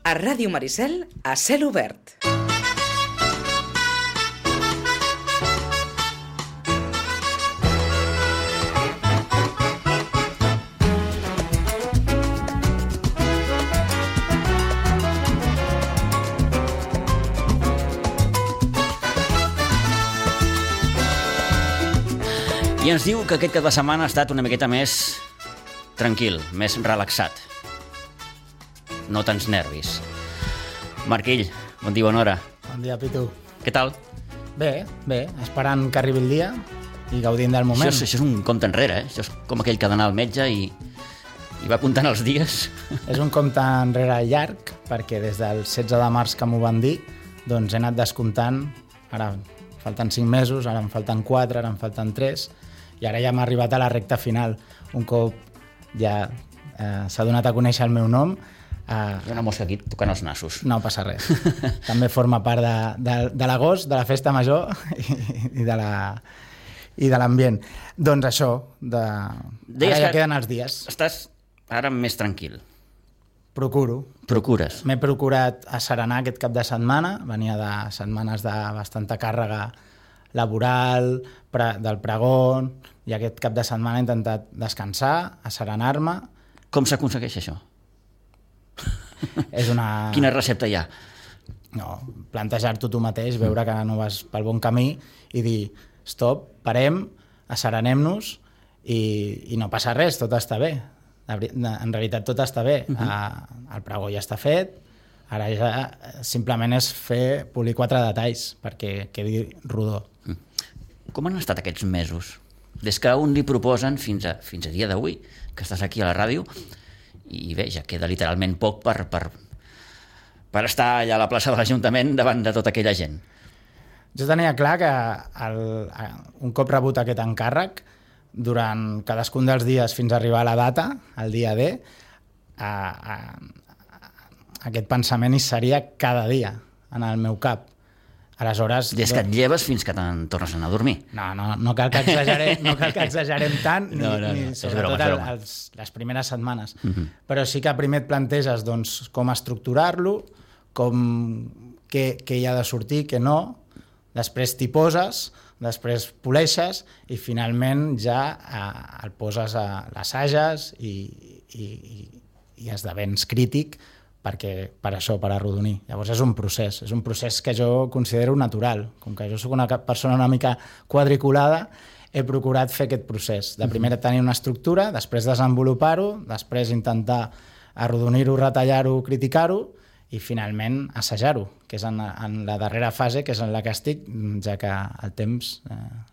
A Ràdio Maricel, a cel obert. I ens diu que aquest cap de setmana ha estat una miqueta més tranquil, més relaxat. No tants nervis. Marquill, bon dia, bona hora. Bon dia, Pitu. Què tal? Bé, esperant que arribi el dia i gaudint del moment. Això és un compte enrere, eh? Això és com aquell que ha d'anar al metge i va comptant els dies. És un compte enrere llarg, perquè des del 16 de març que m'ho van dir, doncs he anat descomptant. Ara falten 5 mesos, ara em falten 4, ara em falten 3, i ara ja m'ha arribat a la recta final. Un cop ja s'ha donat a conèixer el meu nom. Hi ha una mosca aquí tocant els nassos. No passa res. També forma part de l'agost, de la festa major i de l'ambient. Doncs això, ara ja queden els dies. Estàs ara més tranquil. Procures. M'he procurat asserenar aquest cap de setmana. Venia de setmanes de bastanta càrrega laboral, del pregó, i aquest cap de setmana he intentat descansar, asserenar-me. Com s'aconsegueix això? És una... Quina recepta hi ha? No, plantejar-t'ho tu mateix, veure que no vas pel bon camí i dir, stop, parem, asserenem-nos i no passa res, tot està bé. En realitat tot està bé. El pregó ja està fet, ara ja simplement és polir 4 detalls perquè quedi rodó. Com han estat aquests mesos? Des que un li proposen fins a dia d'avui, que estàs aquí a la ràdio, i bé, ja queda literalment poc per estar allà a la plaça de l'Ajuntament davant de tota aquella gent. Jo tenia clar que un cop rebut aquest encàrrec, durant cadascun dels dies fins a arribar a la data, el dia D, aquest pensament hi seria cada dia en el meu cap. Aleshores, des que et lleves fins que te'n tornes a anar a dormir. No cal que exagerem tant, ni sobretot les primeres setmanes. Però sí que primer et planteges com estructurar-lo, què hi ha de sortir, què no, després t'hi poses, després poleixes i finalment ja el poses a l'assages i esdevens crític per arrodonir. Llavors és un procés que jo considero natural. Com que jo soc una persona una mica quadriculada, he procurat fer aquest procés. De primer tenir una estructura, després desenvolupar-ho, després intentar arrodonir-ho, retallar-ho, criticar-ho i finalment assajar-ho, que és en la darrera fase, que és en la que estic, ja que el temps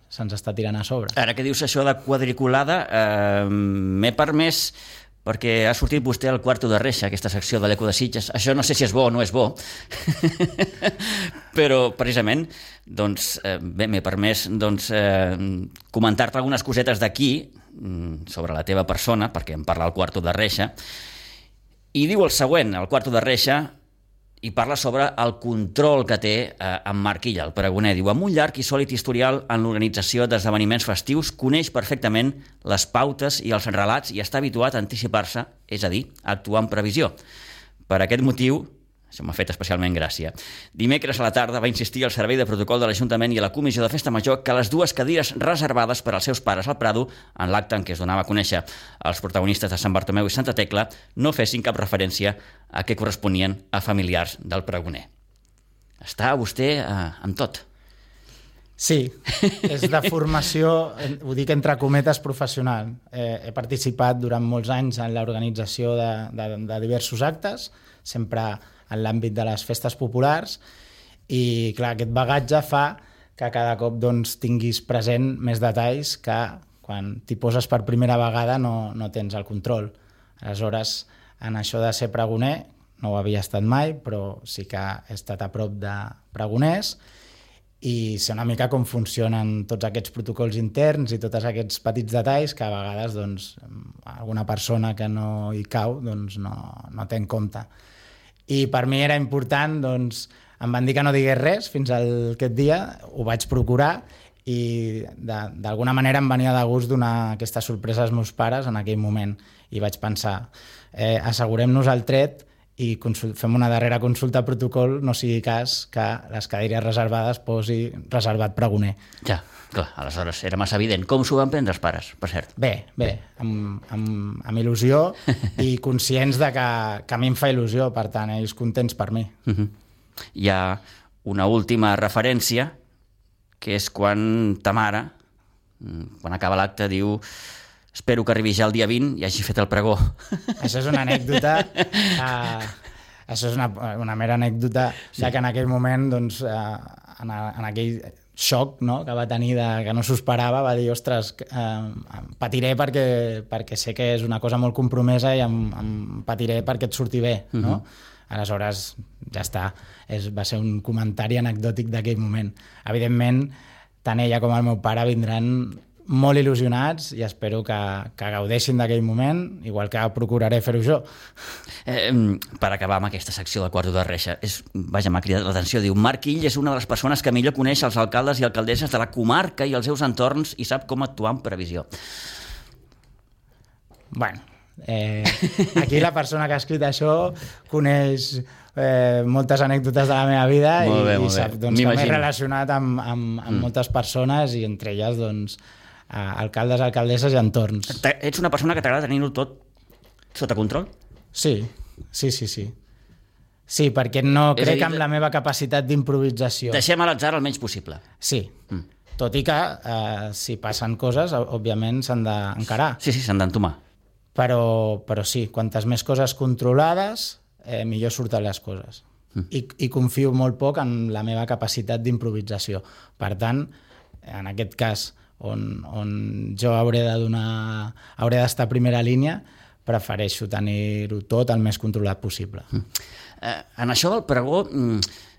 se'ns està tirant a sobre. Ara que dius això de quadriculada, m'he permès, perquè ha sortit vostè al Quarto de Reixa, aquesta secció de l'Eco de Sitges. Això no sé si és bo o no és bo, però precisament m'he permès comentar-te algunes cosetes d'aquí sobre la teva persona, perquè em parla el Quarto de Reixa, i diu el següent, el Quarto de Reixa, i parla sobre el control que té en Marquilla, el pregoner. Diu, amb un llarg i sòlid historial en l'organització d'esdeveniments festius, coneix perfectament les pautes i els relats i està habituat a anticipar-se, és a dir, a actuar en previsió. Per aquest motiu, això m'ha fet especialment gràcia, dimecres a la tarda va insistir al Servei de Protocol de l'Ajuntament i a la Comissió de Festa Major que les 2 cadires reservades per als seus pares al Prado, en l'acte en què es donava a conèixer els protagonistes de Sant Bartomeu i Santa Tecla, no fessin cap referència a què corresponien a familiars del pregoner. Està vostè amb tot. Sí, és de formació, ho dic entre cometes, professional. He participat durant molts anys en l'organització de diversos actes, sempre en l'àmbit de les festes populars, i clar, aquest bagatge fa que cada cop tinguis present més detalls que quan t'hi poses per primera vegada no tens el control. Aleshores, en això de ser pregoner, no ho havia estat mai, però sí que he estat a prop de pregoners i sé una mica com funcionen tots aquests protocols interns i tots aquests petits detalls que a vegades alguna persona que no hi cau no té en compte. I per mi era important, em van dir que no digués res fins a aquest dia, ho vaig procurar i d'alguna manera em venia de gust donar aquesta sorpresa als meus pares en aquell moment i vaig pensar, assegurem-nos el tret i fem una darrera consulta a protocol, no sigui cas que les cadires reservades posi reservat pregoner. Ja, clar, aleshores era massa evident. Com s'ho van prendre els pares, per cert? Bé, amb il·lusió i conscients de que a mi em fa il·lusió, per tant, ells contents per mi. Hi ha una última referència, que és quan ta mare, quan acaba l'acte, diu: espero que arribi ja el dia 20 i hagi fet el pregó. Això és una anècdota, això és una mera anècdota, ja que en aquell moment, doncs, en aquell xoc, no?, que va tenir, que no s'ho esperava, va dir: ostres, patiré perquè sé que és una cosa molt compromesa i em patiré perquè et surti bé, no? Aleshores, ja està. Va ser un comentari anecdòtic d'aquell moment. Evidentment, tant ella com el meu pare vindran molt il·lusionats i espero que gaudeixin d'aquell moment, igual que procuraré fer-ho jo. Per acabar amb aquesta secció del Quarto de Reixa, m'ha cridat l'atenció, diu: Marc Ill és una de les persones que millor coneix els alcaldes i alcaldesses de la comarca i els seus entorns i sap com actuar amb previsió. Bueno, aquí la persona que ha escrit això coneix moltes anècdotes de la meva vida i sap doncs, que m'he relacionat amb moltes persones i entre elles doncs, alcaldes, alcaldesses i entorns. Ets una persona que t'agrada tenir-ho tot sota control? Sí. Sí, perquè no crec en la meva capacitat d'improvisació. Deixem a l'atzar el menys possible. Sí, tot i que si passen coses, òbviament s'han d'encarar. Sí, s'han d'entomar. Però sí, quantes més coses controlades, millor surten les coses. I confio molt poc en la meva capacitat d'improvisació. Per tant, en aquest cas, on jo hauré d'estar a primera línia, prefereixo tenir-ho tot el més controlat possible. En això del pregó,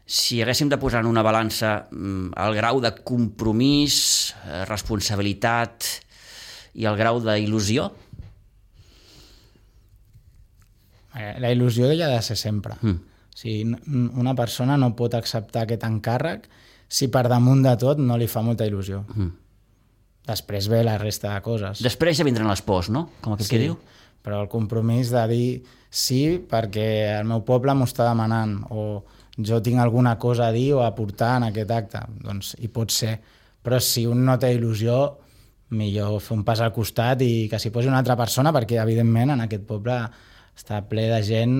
si haguéssim de posar en una balança el grau de compromís, responsabilitat i el grau d'il·lusió? La il·lusió ja ha de ser sempre. O sigui, una persona no pot acceptar aquest encàrrec si per damunt de tot no li fa molta il·lusió. Després ve la resta de coses. Després ja vindran les pors, no? Com aquell que diu. Però el compromís de dir sí perquè el meu poble m'ho està demanant o jo tinc alguna cosa a dir o a aportar en aquest acte, doncs hi pot ser. Però si un no té il·lusió, millor fer un pas al costat i que s'hi posi una altra persona, perquè evidentment en aquest poble està ple de gent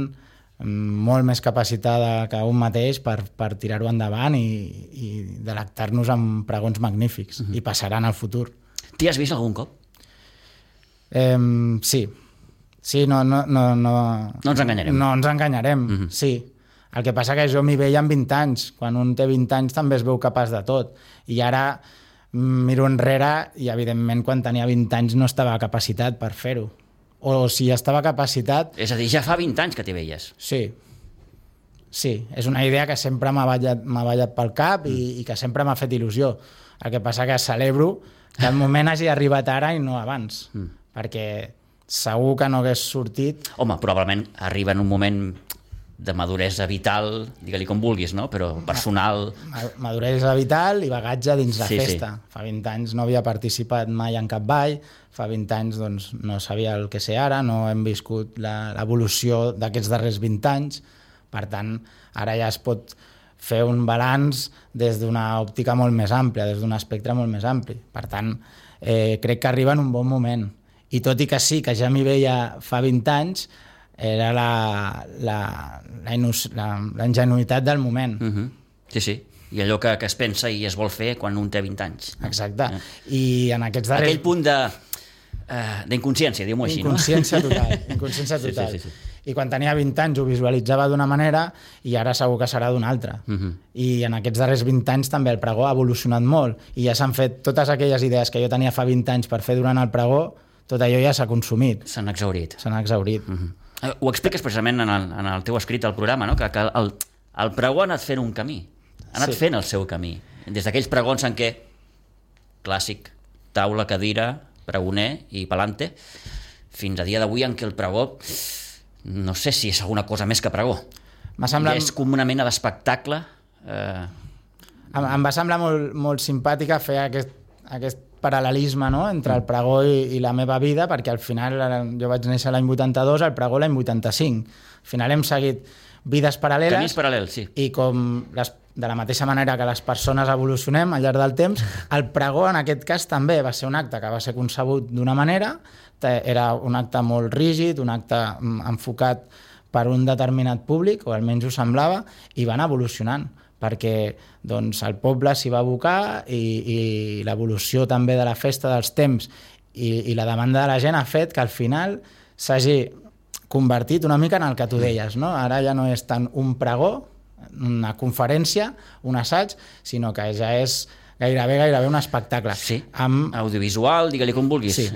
molt més capacitada que un mateix per tirar-ho endavant i delectar-nos amb pregons magnífics. I passaran al futur. T'hi has vist algun cop? Sí. Sí, no ens enganyarem. No ens enganyarem, sí. El que passa que jo m'hi veia amb 20 anys. Quan un té 20 anys també es veu capaç de tot. I ara miro enrere i, evidentment, quan tenia 20 anys no estava capacitat per fer-ho. O si estava capacitat... És a dir, ja fa 20 anys que t'hi veies. Sí. Sí, és una idea que sempre m'ha ballat pel cap i que sempre m'ha fet il·lusió. El que passa que celebro que el moment hagi arribat ara i no abans. Perquè segur que no hagués sortit... Home, probablement arriba en un moment de maduresa vital, digue-li com vulguis, no? Però personal... Maduresa vital i bagatge dins la festa. Sí. Fa 20 anys no havia participat mai en cap ball, fa 20 anys doncs, no sabia el que sé ara, no hem viscut l'evolució d'aquests darrers 20 anys, per tant, ara ja es pot fer un balanç des d'una òptica molt més àmplia, des d'un espectre molt més ampli. Per tant, crec que arriba en un bon moment. I tot i que sí, que ja m'hi veia fa 20 anys, era la ingenuïtat del moment. Sí. I allò que es pensa i es vol fer quan un té 20 anys. Exacte. I en aquests darrers... Aquell punt d'inconsciència, diu-m'ho així, no? Inconsciència total. Sí. I quan tenia 20 anys ho visualitzava d'una manera i ara segur que serà d'una altra. I en aquests darrers 20 anys també el pregó ha evolucionat molt i ja s'han fet totes aquelles idees que jo tenia fa 20 anys per fer durant el pregó, tot allò ja s'ha consumit. S'han exhaurit. Ho expliques precisament en el teu escrit al programa, no? Que el pregó ha anat fent un camí, ha anat fent el seu camí. Des d'aquells pregons en què, clàssic, taula, cadira, pregoner i palante, fins a dia d'avui en què el pregó, no sé si és alguna cosa més que pregó. Ja és com una mena d'espectacle. Em va semblar molt simpàtica fer aquest paral·lelisme, no?, entre el pregó i la meva vida, perquè al final jo vaig néixer l'any 82, el pregó l'any 85. Al final hem seguit vides paral·leles. Camins paral·lels, sí. I de la mateixa manera que les persones evolucionem al llarg del temps, el pregó en aquest cas també va ser un acte que va ser concebut d'una manera, era un acte molt rígid, un acte enfocat per un determinat públic, o almenys ho semblava, i van evolucionant, perquè doncs, el poble s'hi va abocar i l'evolució també de la festa dels temps i la demanda de la gent ha fet que al final s'hagi convertit una mica en el que tu deies, no? Ara ja no és tant un pregó, una conferència, un assaig, sinó que ja és gairebé un espectacle. Sí, audiovisual, digue-li com vulguis. Sí,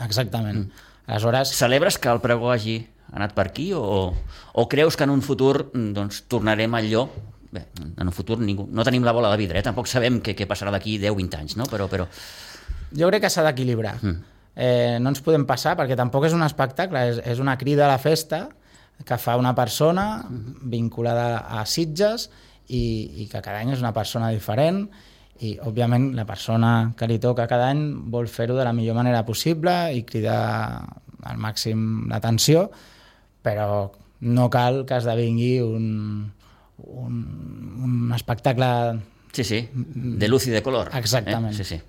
exactament. Aleshores... Celebres que el pregó hagi anat per aquí o creus que en un futur doncs, tornarem al allò? Bé, en un futur no tenim la bola de vidre, tampoc sabem què passarà d'aquí 10-20 anys, no? Però... Jo crec que s'ha d'equilibrar. No ens podem passar, perquè tampoc és un espectacle, és una crida a la festa que fa una persona vinculada a Sitges i que cada any és una persona diferent i, òbviament, la persona que li toca cada any vol fer-ho de la millor manera possible i cridar al màxim l'atenció, però no cal que esdevingui un espectacle... Sí, de luz i de color. Exactament. Sí.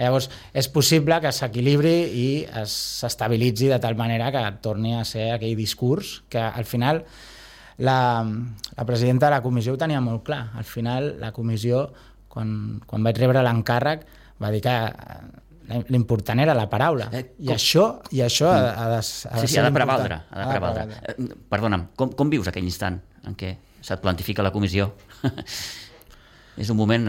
Llavors, és possible que s'equilibri i s'estabilitzi de tal manera que torni a ser aquell discurs que, al final, la presidenta de la comissió ho tenia molt clar. Al final, la comissió, quan vaig rebre l'encàrrec, va dir que l'important era la paraula. I això ha de ser prevaldre. Perdona'm, com vius aquell instant en què se't plantifica la comissió? És un moment...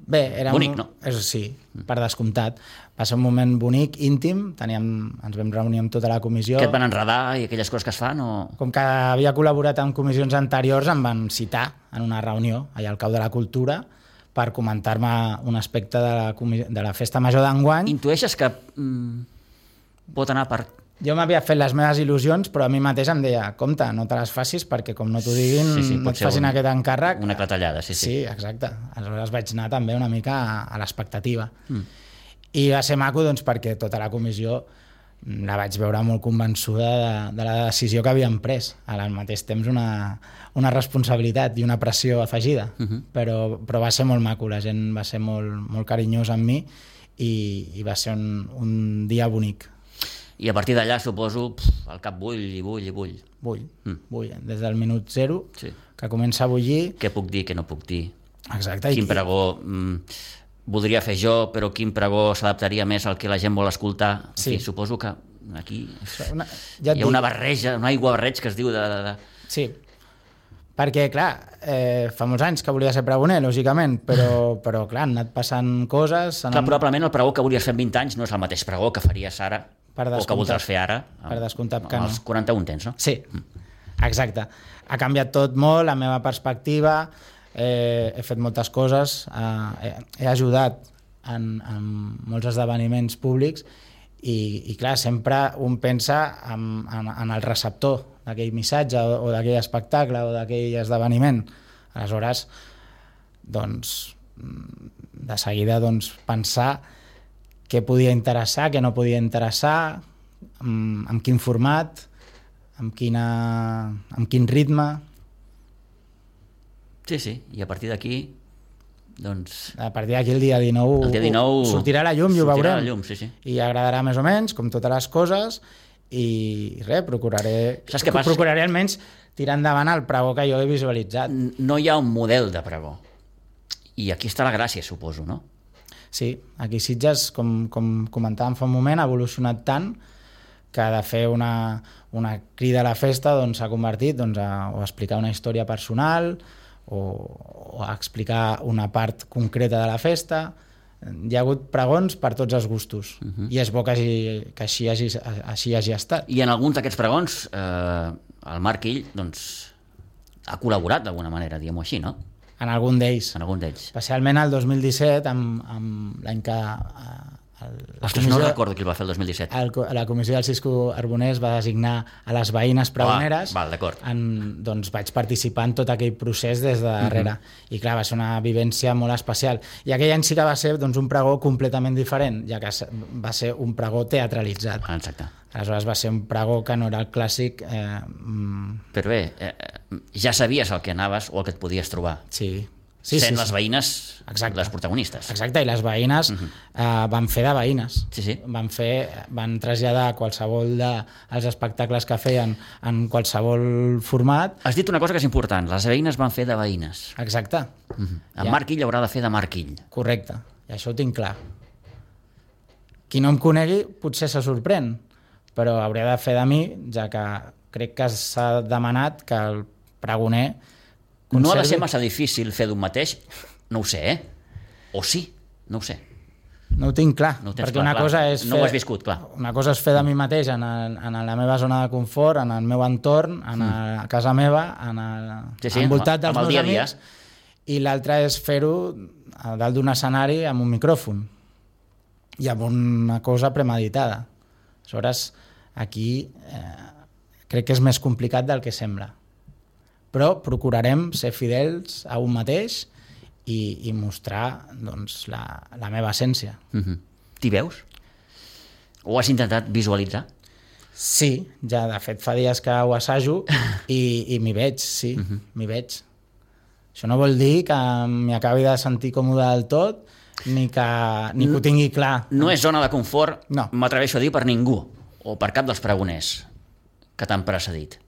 Bé, era bonic, no? Sí, per descomptat. Va ser un moment bonic, íntim, ens vam reunir amb tota la comissió. Que et van enredar i aquelles coses que es fan? Com que havia col·laborat en comissions anteriors, em van citar en una reunió allà al Cau de la Cultura per comentar-me un aspecte de la festa major d'enguany. Intueixes que pot anar per... Jo m'havia fet les meves il·lusions, però a mi mateix em deia, compte, no te les facis perquè com no t'ho diguin, no et facin aquest encàrrec. Una clatellada, sí. Sí, exacte. Aleshores vaig anar també una mica a l'expectativa. I va ser maco doncs, perquè tota la comissió la vaig veure molt convençuda de la decisió que havíem pres. Al mateix temps una responsabilitat i una pressió afegida, però va ser molt maco, la gent va ser molt carinyosa amb mi i va ser un dia bonic. I a partir d'allà, suposo, el cap bull. Bull. Des del minut 0, que comença a bullir. Què puc dir, què no puc dir? Exacte. Quin pregó voldria fer jo, però quin pregó s'adaptaria més al que la gent vol escoltar? Sí. Suposo que aquí hi ha una barreja, un aiguabarreig que es diu de... Sí, perquè, clar, fa molts anys que volia ser pregoner, lògicament, però clar, han anat passant coses... Clar, probablement el pregó que volies fer 20 anys no és el mateix pregó que faries ara o que voldràs fer ara. Per descomptat que no. Als 41 tens, no? Sí, exacte. Ha canviat tot molt, la meva perspectiva, he fet moltes coses, he ajudat en molts esdeveniments públics i clar, sempre un pensa en el receptor d'aquell missatge o d'aquell espectacle o d'aquell esdeveniment. Aleshores, doncs, de seguida pensar què podia interessar, què no podia interessar, amb quin format, amb quin ritme. Sí, i a partir d'aquí, doncs... A partir d'aquí el dia 19 sortirà a la llum i ho veurem. Sí. I agradarà més o menys, com totes les coses, i res, procuraré almenys tirar endavant el pregó que jo he visualitzat. No hi ha un model de pregó. I aquí està la gràcia, suposo, no? Sí, aquí Sitges, com comentàvem fa un moment, ha evolucionat tant que de fer una crida a la festa s'ha convertit a explicar una història personal o a explicar una part concreta de la festa. Hi ha hagut pregons per tots els gustos i és bo que així hagi estat. I en alguns d'aquests pregons el Marc Ill ha col·laborat d'alguna manera, diguem-ho així, no? En algun d'ells. En algun d'ells. Especialment el 2017, l'any que Ostres, no recordo qui el va fer el 2017. La comissió del Cisco Arbonès va designar a les veïnes pregoneres. Val, d'acord. Doncs vaig participar en tot aquell procés des de darrere. I clar, va ser una vivència molt especial. I aquell any sí que va ser doncs, un pregó completament diferent, ja que va ser un pregó teatralitzat. Exacte. Aleshores va ser un pregó que no era el clàssic... Però bé, ja sabies el que anaves o el que et podies trobar. Sí. Sent les veïnes exacte. Les protagonistes. Exacte, i les veïnes van fer de veïnes. Sí. Van traslladar qualsevol dels espectacles que feien en qualsevol format. Has dit una cosa que és important, les veïnes van fer de veïnes. Exacte. En Marc Ill haurà de fer de Marc Ill. Correcte, i això ho tinc clar. Qui no em conegui potser se sorprèn, però hauria de fer de mi, ja que crec que s'ha demanat que el pregoner conservi... No ha de ser massa difícil fer d'un mateix, no ho sé, O sí, no ho sé. No ho tinc clar, no perquè clar, una cosa és no ho has viscut, clar. Una cosa és fer de mi mateix en la meva zona de confort, en el meu entorn, a casa meva, envoltat dels meus amics, i l'altra és fer-ho a dalt d'un escenari amb un micròfon i amb una cosa premeditada. Aleshores, aquí crec que és més complicat del que sembla. Però procurarem ser fidels a un mateix i mostrar doncs, la meva essència. T'hi veus? Ho has intentat visualitzar? Sí, ja de fet fa dies que ho assajo i m'hi veig, sí, m'hi veig. Això no vol dir que m'hi acabi de sentir còmode del tot ni que ho tingui clar. No és zona de confort, no. M'atreveixo a dir, per ningú, o per cap dels pregoners que t'han precedit.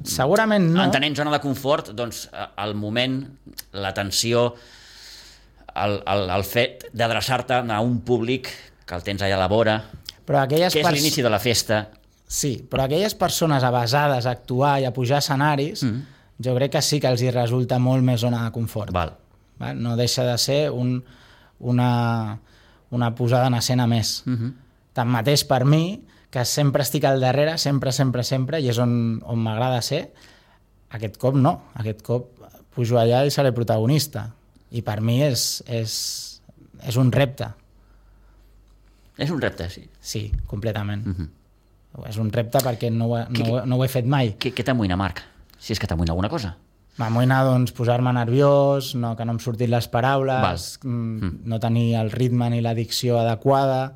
Segurament no. Entenent zona de confort, doncs el moment, la tensió, el fet d'adreçar-te a un públic que el tens allà a la vora, que és l'inici de la festa. Sí, però aquelles persones avasades a actuar i a pujar escenaris, jo crec que sí que els hi resulta molt més zona de confort. Val. No deixa de ser una posada en escena més. Tanmateix, per mi, que sempre estic al darrere, sempre, i és on m'agrada ser, aquest cop no. Aquest cop pujo allà i seré protagonista. I per mi és un repte. És un repte, sí. Sí, completament. És un repte perquè no ho he fet mai. Què t'amoïna, Marc? Si és que t'amoïna alguna cosa. M'amoïna doncs, posar-me nerviós, que no em surtin les paraules, no tenir el ritme ni la dicció adequada,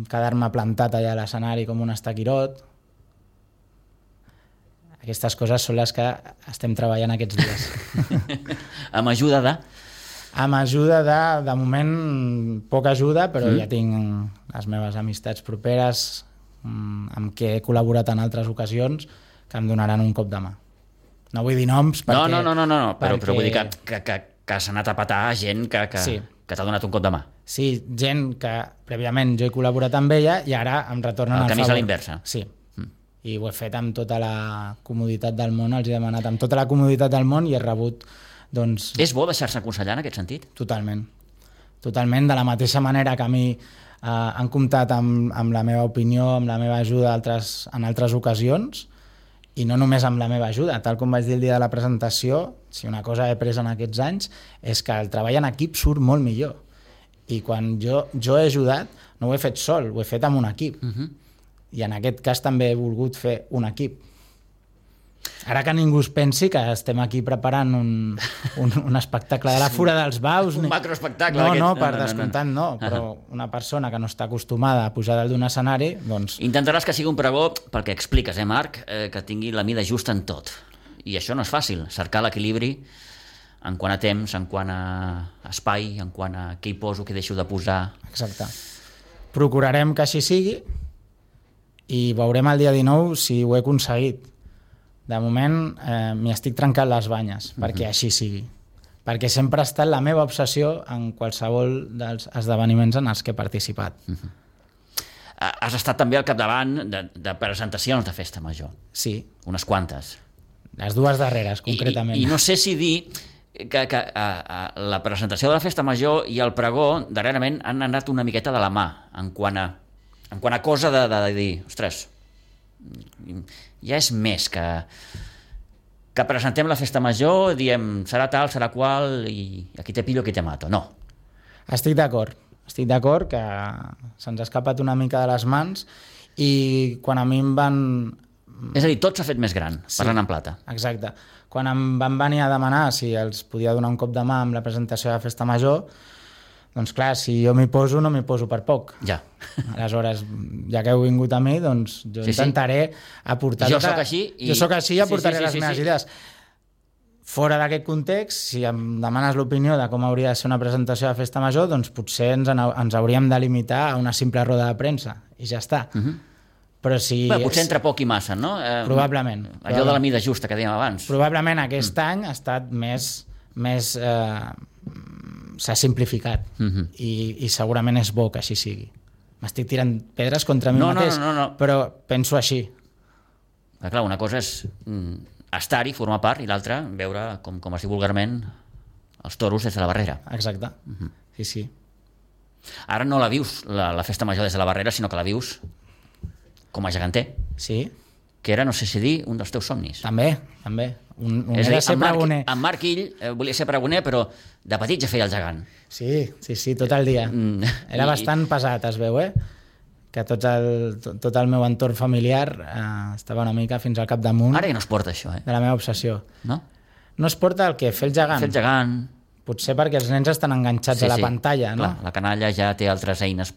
quedar-me plantat allà a l'escenari com un estaquirot. Aquestes coses són les que estem treballant aquests dies. Amb ajuda de? Amb ajuda de moment, poca ajuda, però ja tinc les meves amistats properes amb què he col·laborat en altres ocasions que em donaran un cop de mà. No vull dir noms perquè... No, però vull dir que s'ha anat a petar gent que t'ha donat un cop de mà. Sí, gent que prèviament jo he col·laborat amb ella i ara em retornen al favor. El camí és a l'inversa. Sí, i ho he fet amb tota la comoditat del món, els he demanat amb tota la comoditat del món i he rebut, doncs... És bo deixar-se aconsellar en aquest sentit? Totalment. Totalment, de la mateixa manera que a mi han comptat amb la meva opinió, amb la meva ajuda en altres ocasions, i no només amb la meva ajuda, tal com vaig dir el dia de la presentació, si una cosa he après en aquests anys és que el treball en equip surt molt millor. I quan jo he ajudat, no ho he fet sol, ho he fet amb un equip. I en aquest cas també he volgut fer un equip. Ara que ningú es pensi que estem aquí preparant un espectacle de la Fura dels Baus. Un macroespectacle. No, per descomptat no, però una persona que no està acostumada a pujar dalt d'un escenari, doncs... Intentaràs que sigui un pregó, pel que expliques, Marc, que tingui la mida justa en tot. I això no és fàcil, cercar l'equilibri en quant a temps, en quant a espai, en quant a què hi poso, què deixo de posar... Exacte. Procurarem que així sigui i veurem el dia 19 si ho he aconseguit. De moment m'hi estic trencant les banyes perquè així sigui. Perquè sempre ha estat la meva obsessió en qualsevol dels esdeveniments en els que he participat. Has estat també al capdavant de presentacions de Festa Major. Sí. Unes quantes. Les dues darreres, concretament. I no sé si dir que la presentació de la Festa Major i el pregó darrerament han anat una miqueta de la mà en quant a cosa de dir, ostres, ja és més que presentem la Festa Major, diem serà tal, serà qual, i aquí te pillo, aquí te mato. No. Estic d'acord que se'ns ha escapat una mica de les mans i quan a mi em van... És a dir, tot s'ha fet més gran, parlant en plata. Exacte. Quan em van venir a demanar si els podia donar un cop de mà amb la presentació de la Festa Major, doncs clar, si jo m'hi poso, no m'hi poso per poc. Ja. Aleshores, ja que heu vingut a mi, doncs jo intentaré aportar... Jo sóc així i... Jo sóc així i aportaré les meves idees. Fora d'aquest context, si em demanes l'opinió de com hauria de ser una presentació de Festa Major, doncs potser ens hauríem de limitar a una simple roda de premsa i ja està. Però si... potser entre poc i massa, no? Probablement. Allò de la mida justa que dèiem abans. Probablement aquest any ha estat més s'ha simplificat i segurament és bo que així sigui. M'estic tirant pedres contra mi mateix, però penso així. Clar, una cosa és estar-hi, formar part, i l'altra veure, com es diu vulgarment, els toros des de la barrera. Exacte, sí. Ara no la vius, la Festa Major des de la barrera, sinó que la vius com a geganter. Sí. Que era, no sé si dir, un dels teus somnis. També. És a dir, en Marc Ill volia ser pregoner, però de petit ja feia el gegant. Sí, tot el dia. Era bastant pesat, es veu, que tot el meu entorn familiar estava una mica fins al capdamunt. Ara ja no es porta això, de la meva obsessió. No? No es porta el què? Fer el gegant. Fer el gegant. Potser perquè els nens estan enganxats a la pantalla, no? Clar, la canalla ja té altres eines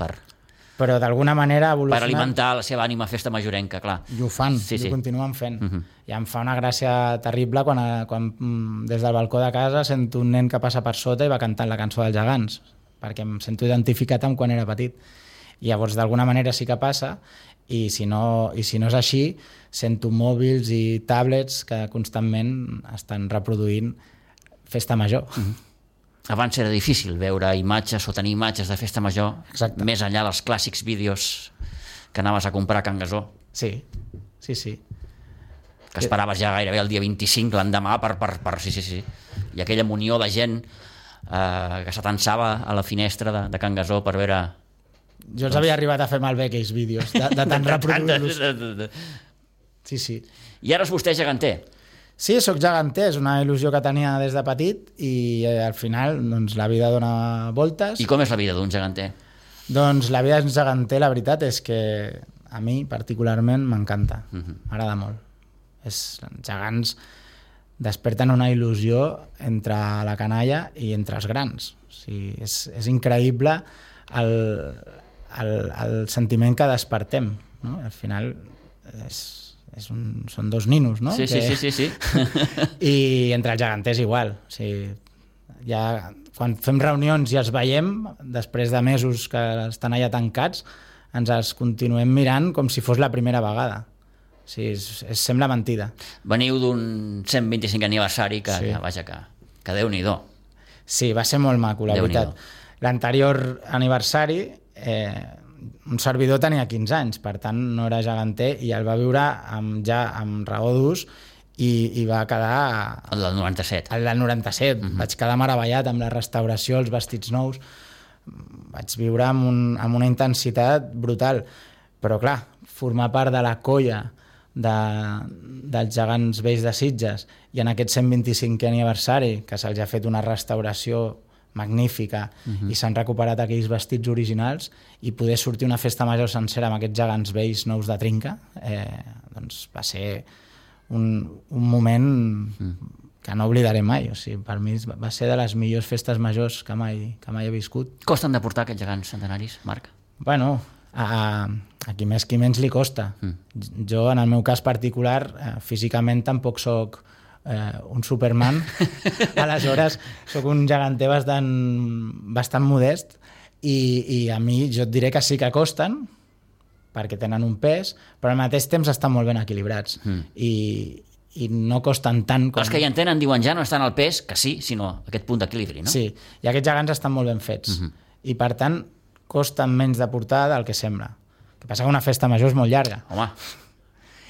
però d'alguna manera ha evolucionat... Per alimentar la seva ànima festa majorenca, clar. I ho fan, i ho continuen fent. I em fa una gràcia terrible quan des del balcó de casa sento un nen que passa per sota i va cantant la cançó dels gegants, perquè em sento identificat amb quan era petit. I llavors, d'alguna manera sí que passa, i si no és així, sento mòbils i tablets que constantment estan reproduint Festa Major. Abans era difícil veure imatges o tenir imatges de Festa Major. Exacte. Més enllà dels clàssics vídeos que anaves a comprar a Can Gasó. Sí. Que esperaves ja gairebé el dia 25, l'endemà, sí. I aquella munió de gent que s'atansava a la finestra de Can Gasó per veure... Jo els havia arribat a fer malbé aquells vídeos, de tant reproduir-los. Sí. I ara és vostè geganter. Sí, sóc geganter, és una il·lusió que tenia des de petit i al final doncs, la vida dona voltes. I com és la vida d'un geganter? Doncs la vida d'un geganter, la veritat és que a mi particularment m'encanta, m'agrada molt. Els gegants desperten una il·lusió entre la canalla i entre els grans. O sigui, és increïble el sentiment que despertem, no? Al final són dos ninos, no? Sí. I entre els geganters igual. O sigui, ja, quan fem reunions i els veiem, després de mesos que estan allà tancats, ens els continuem mirant com si fos la primera vegada. O sigui, sembla mentida. Veniu d'un 125 aniversari que Déu-n'hi-do. Sí, va ser molt maco, la veritat. L'anterior aniversari... un servidor tenia 15 anys, per tant no era geganter i el va viure ja amb raó d'ús i va quedar... El del 97. El del 97. Vaig quedar meravellat amb la restauració, els vestits nous. Vaig viure amb una intensitat brutal. Però clar, formar part de la colla dels gegants vells de Sitges i en aquest 125è aniversari que se'ls ha fet una restauració magnífica i s'han recuperat aquells vestits originals i poder sortir una festa major sencera amb aquests gegants vells nous de trinca, doncs va ser un moment que no oblidaré mai. O sigui, per mi va ser de les millors festes majors que mai he viscut. Costen de portar aquests gegants centenaris, Marc? Bueno, a qui més qui menys li costa. Jo, en el meu cas particular, físicament tampoc soc un Superman, aleshores sóc un geganter bastant modest i a mi jo et diré que sí que costen perquè tenen un pes, però al mateix temps estan molt ben equilibrats i no costen tant com... Els que hi entenen diuen ja no estan al pes, que sí, sinó aquest punt d'equilibri, no? Sí, i aquests gegants estan molt ben fets i per tant costen menys de portar del que sembla. El que passa que una festa major és molt llarga. Home,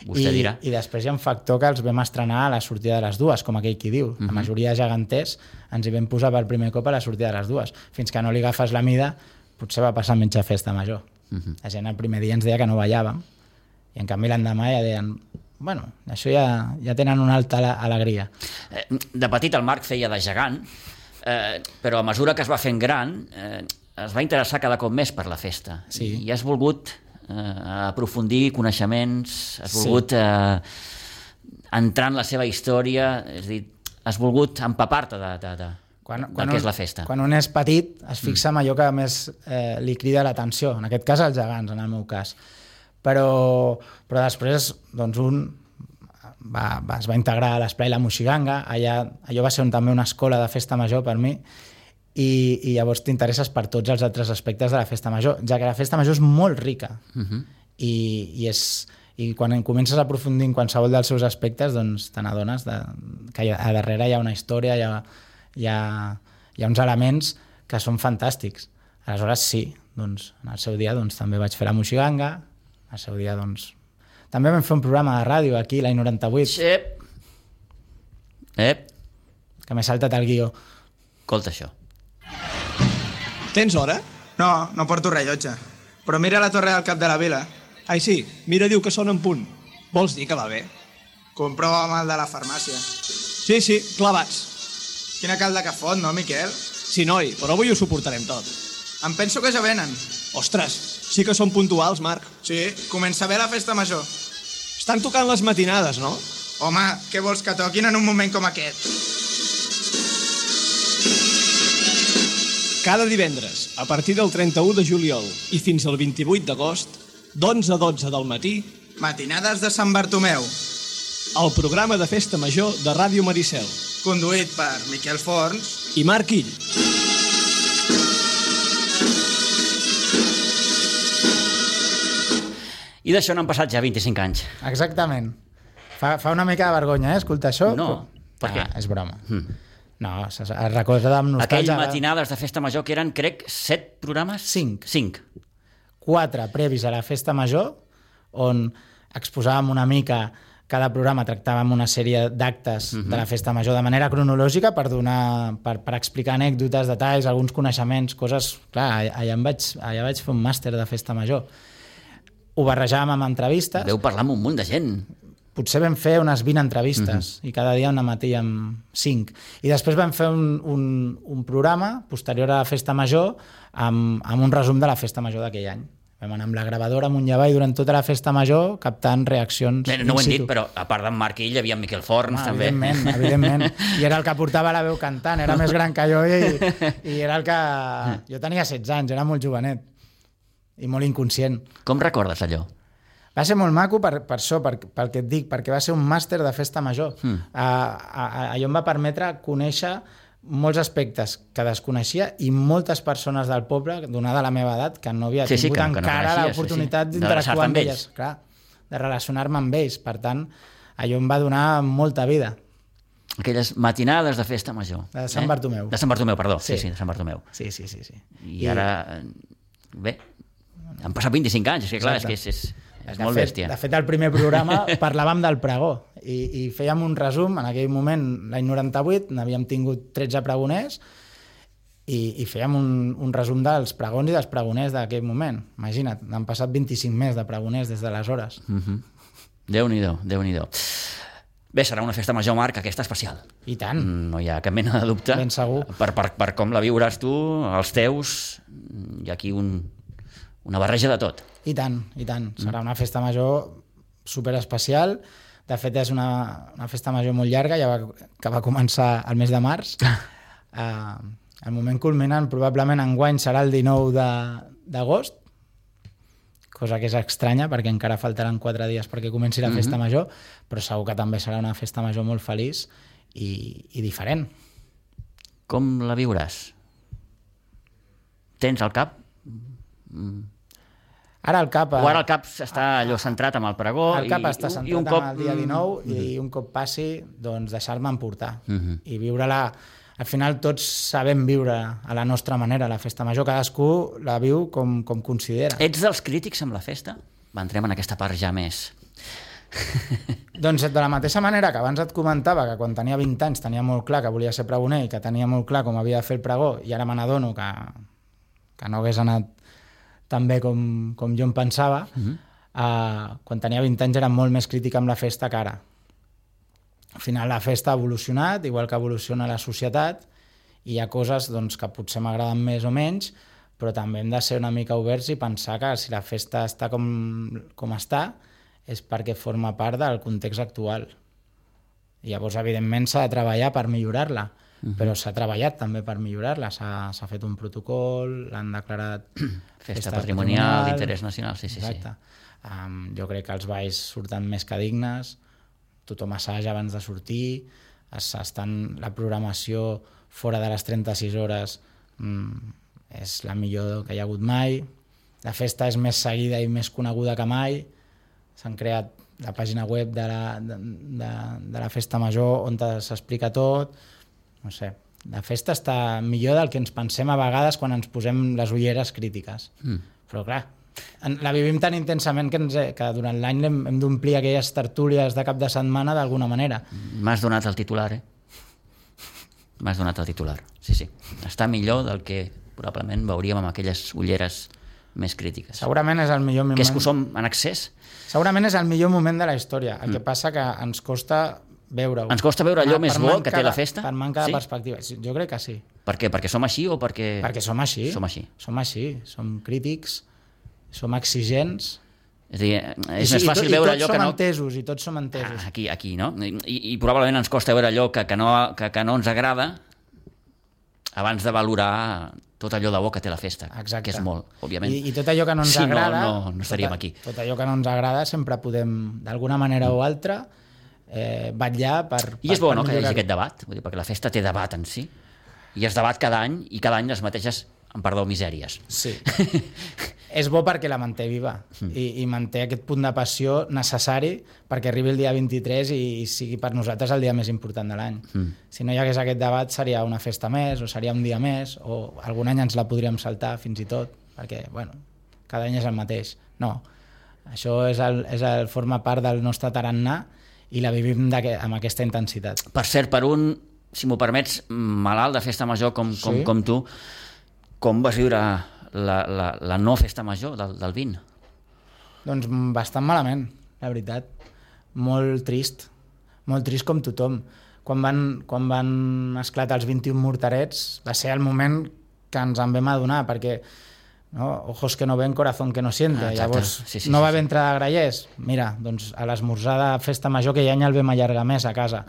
vostè dirà. I després hi ha un factor que els vam estrenar a la sortida de les dues, com aquell qui diu. La majoria de geganters ens hi vam posar per primer cop a la sortida de les dues. Fins que no li agafes la mida, potser va passar menys a festa major. La gent el primer dia ens deia que no ballàvem, i en canvi l'endemà ja deien bueno, això ja tenen una alta alegria. De petit el Marc feia de gegant, Però a mesura que es va fent gran, es va interessar cada cop més per la festa. Sí. I has volgut aprofundir coneixements, has volgut entrar en la seva història, és a dir, has volgut empapar-te del que és la festa. Quan un és petit es fixa en allò que més li crida l'atenció, en aquest cas els gegants, en el meu cas. Però després doncs, un es va integrar a l'Esplai La Moixiganga, allò va ser també una escola de festa major per mi, i llavors t'interesses per tots els altres aspectes de la festa major, ja que la festa major és molt rica. I quan comences a aprofundir en qualsevol dels seus aspectes, doncs te n'adones que a darrere hi ha una història, hi ha uns elements que són fantàstics. Aleshores sí, doncs, en el seu dia doncs, també vaig fer La Moixiganga, al seu dia doncs, també vam fer un programa de ràdio aquí, l'any 98. Que m'he saltat el guió. Escolta això. Tens hora? No, no porto rellotge. Però mira la torre del cap de la vila. Ai, sí, mira, diu que sona en punt. Vols dir que va bé? Comprova el de la farmàcia. Sí, clavats. Quina calda que fot, no, Miquel? Sí, noi, però avui ho suportarem tot. Em penso que ja venen. Ostres, sí que són puntuals, Marc. Sí, comença bé la festa major. Estan tocant les matinades, no? Home, què vols que toquin en un moment com aquest? Cada divendres, a partir del 31 de juliol i fins al 28 d'agost, d'11 a 12 del matí... Matinades de Sant Bartomeu. El programa de festa major de Ràdio Maricel. Conduït per Miquel Forns i Marc Ill. I d'això n'han passat ja 25 anys. Exactament. Fa una mica de vergonya, escoltar això. No, per què? És broma. No, es recorda amb nostàlgia. Aquell matinades de festa major que eren, crec, 7 programes? 5. 4 previs a la festa major, on exposàvem una mica, cada programa tractàvem una sèrie d'actes de la festa major de manera cronològica per explicar anècdotes, detalls, alguns coneixements, coses... Clar, allà vaig fer un màster de festa major. Ho barrejàvem amb entrevistes. Veu parlar amb un munt de gent. Potser vam fer unes 20 entrevistes i cada dia una matí amb 5. I després vam fer un programa posterior a la festa major amb un resum de la festa major d'aquell any. Vam anar amb la gravadora amunt i avall durant tota la festa major captant reaccions. No ho hem dit, però a part d'en Marc Ill hi havia en Miquel Forns, també. Evidentment. I era el que portava la veu cantant, era més gran que jo i era el que... Jo tenia 16 anys, era molt jovenet i molt inconscient. Com recordes allò? Va ser molt maco per això, pel que et dic, perquè va ser un màster de festa major. Allò em va permetre conèixer molts aspectes que desconeixia i moltes persones del poble, donada la meva edat, que no havia tingut encara l'oportunitat d'interactuar amb elles. Clar, de relacionar-me amb ells. Per tant, allò em va donar molta vida. Aquelles matinades de festa major. De Sant Bartomeu. De Sant Bartomeu, perdó. Sí, de Sant Bartomeu. Sí. I ara... Bé, han passat 25 anys, és que clar, és molt bèstia. De fet, al primer programa parlàvem del pregó i fèiem un resum. En aquell moment, l'any 98, n'havíem tingut 13 pregoners i fèiem un resum dels pregons i dels pregoners d'aquell moment. Imagina't, n'han passat 25 més de pregoners des d'aleshores. Déu-n'hi-do, Déu-n'hi-do. Bé, serà una festa major, Marc, aquesta especial. I tant. No hi ha cap mena de dubte. Ben segur. Per com la viuràs tu, els teus, hi ha aquí una barreja de tot. I tant. Serà una festa major superespecial. De fet, és una festa major molt llarga, que va començar el mes de març. El moment culminant probablement enguany serà el 19 d'agost, cosa que és estranya perquè encara faltaran 4 dies perquè comenci la festa major, però segur que també serà una festa major molt feliç i diferent. Com la viuràs? Tens al cap? Ara el cap està allò centrat amb el pregó. El cap està centrat amb el dia 19 i un cop passi, doncs deixar-me emportar i viure-la. Al final tots sabem viure a la nostra manera la festa major, cadascú la viu com considera. Ets dels crítics amb la festa? Entrem en aquesta part ja més. Doncs de la mateixa manera que abans et comentava que quan tenia 20 anys tenia molt clar que volia ser pregoner i que tenia molt clar com havia de fer el pregó i ara me n'adono que no hagués anat tan bé com jo em pensava, quan tenia 20 anys era molt més crític amb la festa que ara. Al final la festa ha evolucionat, igual que evoluciona la societat, hi ha coses doncs, que potser m'agraden més o menys, però també hem de ser una mica oberts i pensar que si la festa està com està és perquè forma part del context actual. I llavors, evidentment, s'ha de treballar per millorar-la, però s'ha treballat també per millorar-la. S'ha fet un protocol, l'han declarat Festa patrimonial d'interès nacional, sí. Exacte. Jo crec que els balls surten més que dignes, tothom assaja abans de sortir, la programació fora de les 36 hores és la millor que hi ha hagut mai, la festa és més seguida i més coneguda que mai, s'han creat la pàgina web de la festa major on s'explica tot, no sé, la festa està millor del que ens pensem a vegades quan ens posem les ulleres crítiques, però clar, la vivim tan intensament que durant l'any hem d'omplir aquelles tertúlies de cap de setmana d'alguna manera. M'has donat el titular, M'has donat el titular, sí. Està millor del que probablement veuríem amb aquelles ulleres més crítiques. Segurament és el millor moment. Que és que ho som en excés? Segurament és el millor moment de la història. El que passa que ens costa veure-ho. Ens costa veure allò més bo que té la festa? Per manca de perspectiva. Jo crec que sí. Per què? Perquè som així o perquè... Perquè som així. Som així. Som crítics, som exigents. És a dir, és més fàcil veure allò que no... I tots som entesos. Aquí, no? I probablement ens costa veure allò que no ens agrada abans de valorar tot allò de bo que té la festa. Exacte. Que és molt, òbviament. I tot allò que no ens agrada... no estaríem aquí. Tot allò que no ens agrada sempre podem, d'alguna manera o altra, vetllar per... I és bo, no?, que hi hagi aquest debat, vull dir, perquè la festa té debat en si, i es debat cada any, i cada any les mateixes, amb perdó, misèries. Sí. És bo perquè la manté viva i manté aquest punt de passió necessari perquè arribi el dia 23 i sigui per nosaltres el dia més important de l'any. Si no hi hagués aquest debat seria una festa més o seria un dia més o algun any ens la podríem saltar fins i tot perquè, bueno, cada any és el mateix. No, això forma part del nostre tarannà i la vivim amb aquesta intensitat. Per cert, per un, si m'ho permets, malalt de festa major com tu, com vas viure la no festa major del 20? Doncs bastant malament, la veritat. Molt trist com tothom. Quan van esclatar els 21 morterets va ser el moment que ens en vam adonar, perquè ojos que no ven, corazón que no siente. Llavors, no va haver entrada de grallers? Mira, doncs a l'esmorzar de festa major, que ja any el vam allargar més a casa.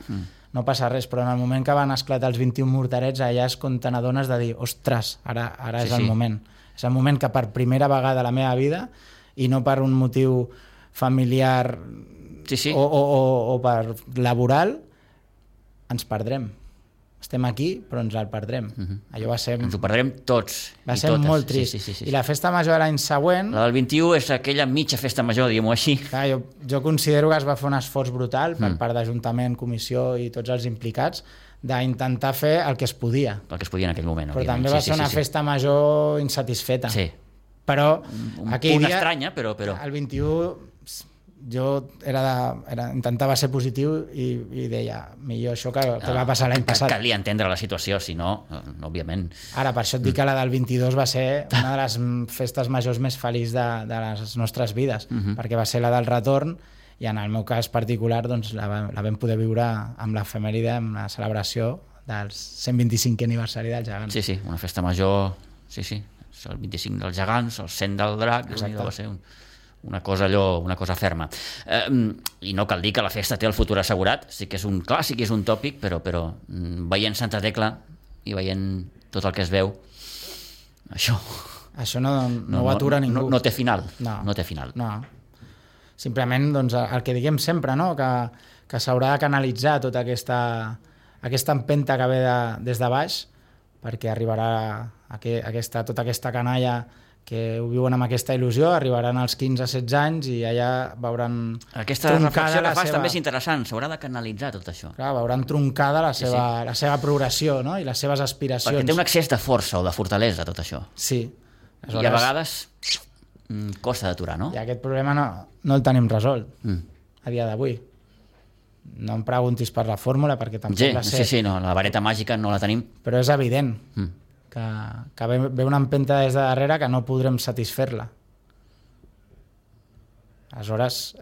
No passa res, però en el moment que van esclatar els 21 morterets, allà és quan te n'adones de dir, ostres, ara és el moment. És el moment que per primera vegada a la meva vida, i no per un motiu familiar o per laboral, ens perdrem. Estem aquí, però ens el perdrem. Allò va ser... Ens ho perdrem tots. Va ser molt trist. Sí. I la festa major de l'any següent... La del 21 és aquella mitja festa major, diguem-ho així. Clar, jo considero que es va fer un esforç brutal per part d'Ajuntament, Comissió i tots els implicats d'intentar fer el que es podia. El que es podia en aquell moment. Però també va ser una festa major insatisfeta. Sí. Però aquell dia... estranya, però... El 21... jo intentava ser positiu i deia, millor això que va passar l'any passat. Calia entendre la situació, si no, òbviament... Ara, per això et dic que la del 22 va ser una de les festes majors més feliçs de les nostres vides, perquè va ser la del retorn, i en el meu cas particular doncs, la vam poder viure amb l'efemèride, amb la celebració del 125è aniversari dels Gegants. Sí, una festa major, sí, el 25 dels Gegants, el 100 del Drac, va ser una cosa ferma. I no cal dir que la festa té el futur assegurat, sí que és un clàssic i és un tòpic, però veient Santa Tecla i veient tot el que es veu, això no ho atura ningú. No té final. No té final. No. Simplement doncs, el que diguem sempre, no? que s'haurà de canalitzar tota aquesta empenta que ve des de baix, perquè arribarà tota aquesta canalla que ho viuen amb aquesta il·lusió, arribaran als 15-16 anys i allà veuran aquesta reflexió que fas també és interessant, s'haurà de canalitzar tot això. Clar, veuran troncada la seva progressió, no? I les seves aspiracions. Perquè té un excés de força o de fortalesa tot això. Sí. I a vegades costa d'aturar, no? I aquest problema no el tenim resolt a dia d'avui. No em preguntis per la fórmula perquè tampoc la sé. Sí, no, la vareta màgica no la tenim. Però és evident que ve una empenta des de darrere que no podrem satisfer-la. Aleshores,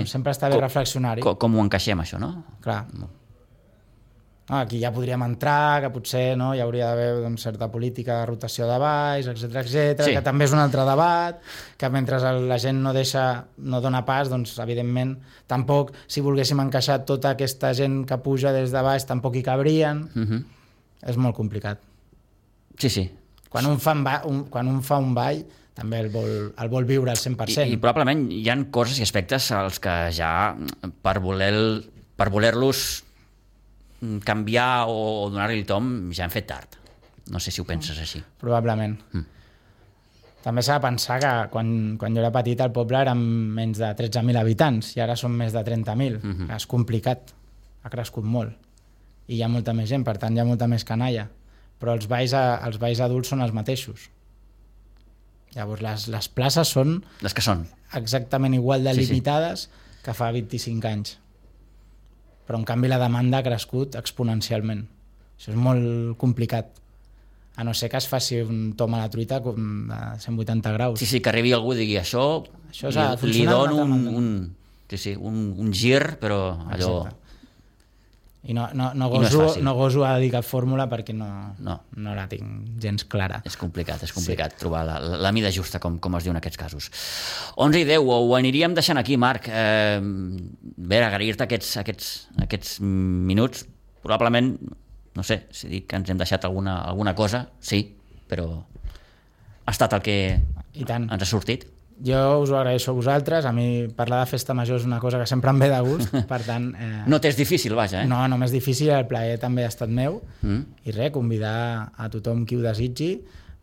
sempre està bé reflexionar-hi. Com ho encaixem, això, no? Clar. No, aquí ja podríem entrar, que potser no, hi hauria d'haver doncs, certa política de rotació de baix, etc Sí. que també és un altre debat, que mentre la gent no dona pas, doncs, evidentment, tampoc, si volguéssim encaixar tota aquesta gent que puja des de baix, tampoc hi cabrien. És molt complicat. Sí. Quan un fa un ball, també el vol viure al 100%. I probablement hi ha coses i aspectes als que ja, per voler-los canviar o donar-li el tom, ja han fet tard. No sé si ho penses així. Probablement. També s'ha de pensar que quan jo era petit el poble eren menys de 13.000 habitants i ara són més de 30.000. És complicat, ha crescut molt. I hi ha molta més gent, per tant hi ha molta més canalla. Però els balls adults són els mateixos. Llavors les places són Les que són. exactament igual de limitades que fa 25 anys. Però en canvi la demanda ha crescut exponencialment. Això és molt complicat. A no ser que es faci un tom a la truita com de 180 graus. Sí, que arribi algú i digui això li dono un gir, però allò... Exacte. I no és fàcil. goso a dir cap fórmula perquè no la tinc gens clara. És complicat trobar la mida justa, com es diu en aquests casos. 11 i 10, ho aniríem deixant aquí, Marc. Bé, agrair-te aquests minuts. Probablement, no sé, si dic que ens hem deixat alguna cosa, sí, però ha estat el que I tant. ens ha sortit. Jo us ho agraeixo a vosaltres. A mi parlar de festa major és una cosa que sempre em ve de gust, per tant... No t'és difícil, vaja, No, només difícil, el plaer també ha estat meu. I res, convidar a tothom qui ho desitgi.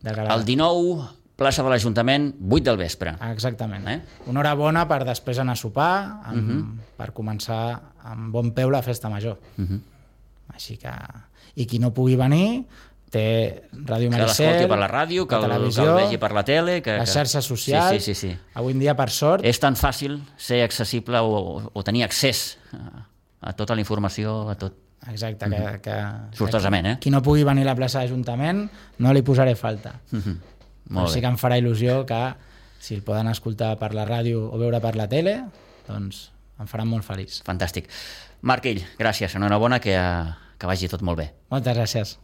El 19, plaça de l'Ajuntament, 8 del vespre. Exactament. Una hora bona per després anar a sopar, per començar amb bon peu la festa major. Així que... I qui no pugui venir... té Ràdio Maricel, que l'escolti per la ràdio, que el vegi per la tele, les xarxes socials. Sí. Avui en dia, per sort... És tan fàcil ser accessible o tenir accés a tota la informació, a tot. Exacte, sortosament, Qui no pugui venir a la plaça d'Ajuntament no li posaré falta. Molt sí que em farà il·lusió que si el poden escoltar per la ràdio o veure per la tele, doncs em farà molt feliç. Fantàstic. Marc Ell, gràcies, enhorabona, que vagi tot molt bé. Moltes gràcies.